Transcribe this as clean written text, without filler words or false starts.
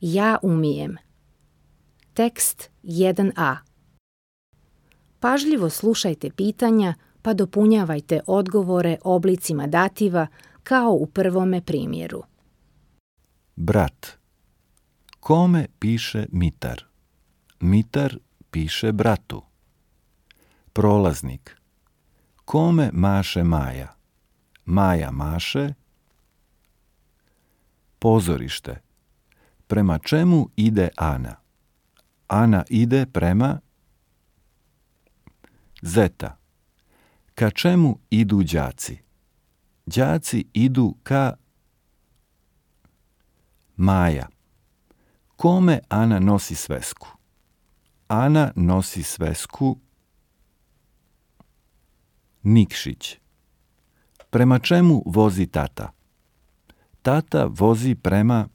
Ja umijem. Tekst 1a. Pažljivo slušajte pitanja pa dopunjavajte odgovore oblicima dativa kao u prvome primjeru. Brat. Kome piše Mitar? Mitar piše bratu. Prolaznik. Kome maše Maja? Maja maše. Pozorište. Prema čemu ide Ana? Ana ide prema. Zeta. Ka čemu idu đaci? Đaci idu ka. Maja. Kome Ana nosi svesku? Ana nosi svesku. Nikšić. Prema čemu vozi tata? Tata vozi prema.